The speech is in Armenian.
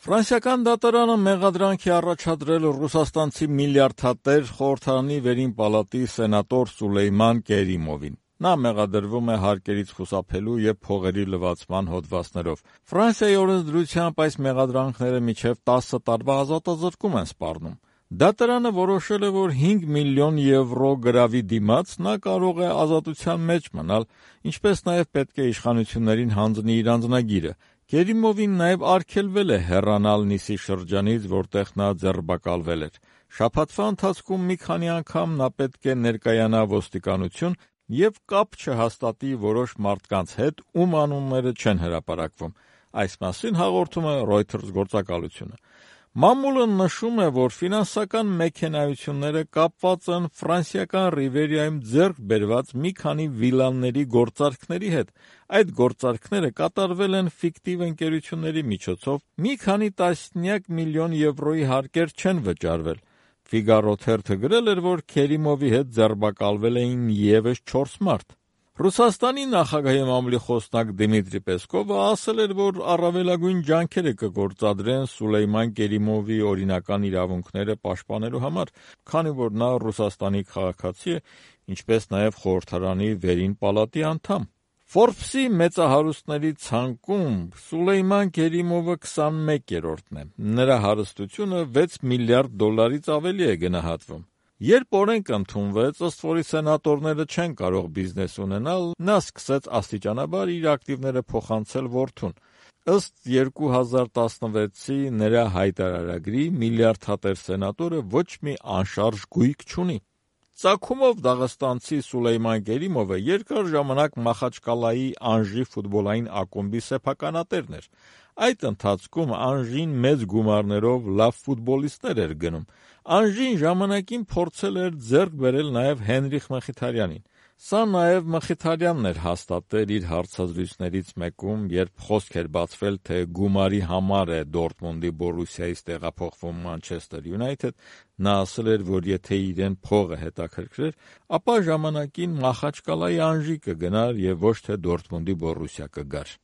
Ֆրանսիական դատարանը մեղադրանք է առաջադրել ռուսաստանցի միլիարդատեր խորհրդարանի վերին պալատի սենատոր Սուլեյման Կերիմովին։ Նա մեղադրվում է հարկերից խուսափելու և փողերի լվացման հոդվածներով։ Ֆրանսիայի օրենսդրությամբ այս մեղադրանքները մինչև 10 տարվա ազատազրկում են սպառնում։ Դատարանը որոշել է, որ 5 միլիոն եվրո գրավի դիմաց նա կարող է ազատության մեջ մնալ, ինչպես նաև պետք է իշխանություններին հանձնի իր անձնագիրը։ Կերիմովին նաև արգելվել է հեռանալ Նիսի շրջանից, որտեղ նա ձերբակալվել էր։ Շաբաթվա ընթացքում մի քանի անգամ նա պետք է ներկայանա ոստիկանություն և կապ չհաստատի որոշ մարդկանց հետ, ում անունները չեն հրապարակվում։ Այս մասին հաղորդում է Reuters գործակալությունը։ Մամուլը նշում է, որ ֆինանսական մեքենայությունները կապված են ֆրանսիական Ռիվերիայում ձեռք բերված մի քանի վիլաների գործարքների հետ։ Այդ գործարքները կատարվել են ֆիկտիվ ընկերությունների միջոցով, մի քանի տասնյակ միլիոն եվրոյի հարկեր չեն վճարվել։ Ֆիգարո թերթը գրել էր, որ Քերիմովի հետ ձերբակալվել էին ևս 4 մարդ։ Ռուսաստանի նախագահի մամուլի խոսնակ Դիմիտրի Պեսկովը ասել էր, որ առավելագույն ջանքերը կգործադրեն Սուլեյման Կերիմովի օրինական իրավունքները պաշտպանելու համար, քանի որ նա Ռուսաստանի քաղաքացի է, ինչպես նաև խորհրդարանի վերին պալատի անդամ։ Forbes-ի մեծահարուստների ցանկում Սուլեյման Կերիմովը 21-րդն է։ Նրա հարստությունը 6 միլիարդ դոլարից ավելի է գնահատվում։ Երբ օրենք ընդունվեց, ըստ որի սենատորները չեն կարող բիզնես ունենալ, նա սկսեց աստիճանաբար իր ակտիվները փոխանցել որդուն։ Ըստ 2016-ի նրա հայտարարագրի, միլիարդատեր սենատորը ոչ մի անշարժ գույք չունի։ Ծագումով դաղստանցի Սուլեյման Կերիմովը երկար ժամանակ Մախաչկալայի Անժի ֆուտբոլային ակումբի սեփականատերն էր։ Այդ ընթացքում Անժին մեծ գումարներով լավ ֆուտբոլիստներ էր գնում։ Անժին ժամանակին փորձել էր ձեռք բերել նաև Հենրիխ Մխիթարյանին։ Սա նաև Մխիթարյանն էր հաստատել իր հարցազրույցներից մեկում, երբ խոսք էր բացվել, թե գումարի համար է Դորտմունդի Բորուսիայից տեղափոխվում Մանչեսթեր Յունայթեդ, նա ասել էր, որ եթե իրեն փողը հետաքրքրեր, ապա ժամանակին Մախաչկալայի Անժի կգնար և ոչ թե Դորտմունդի Բորուսիա կգար։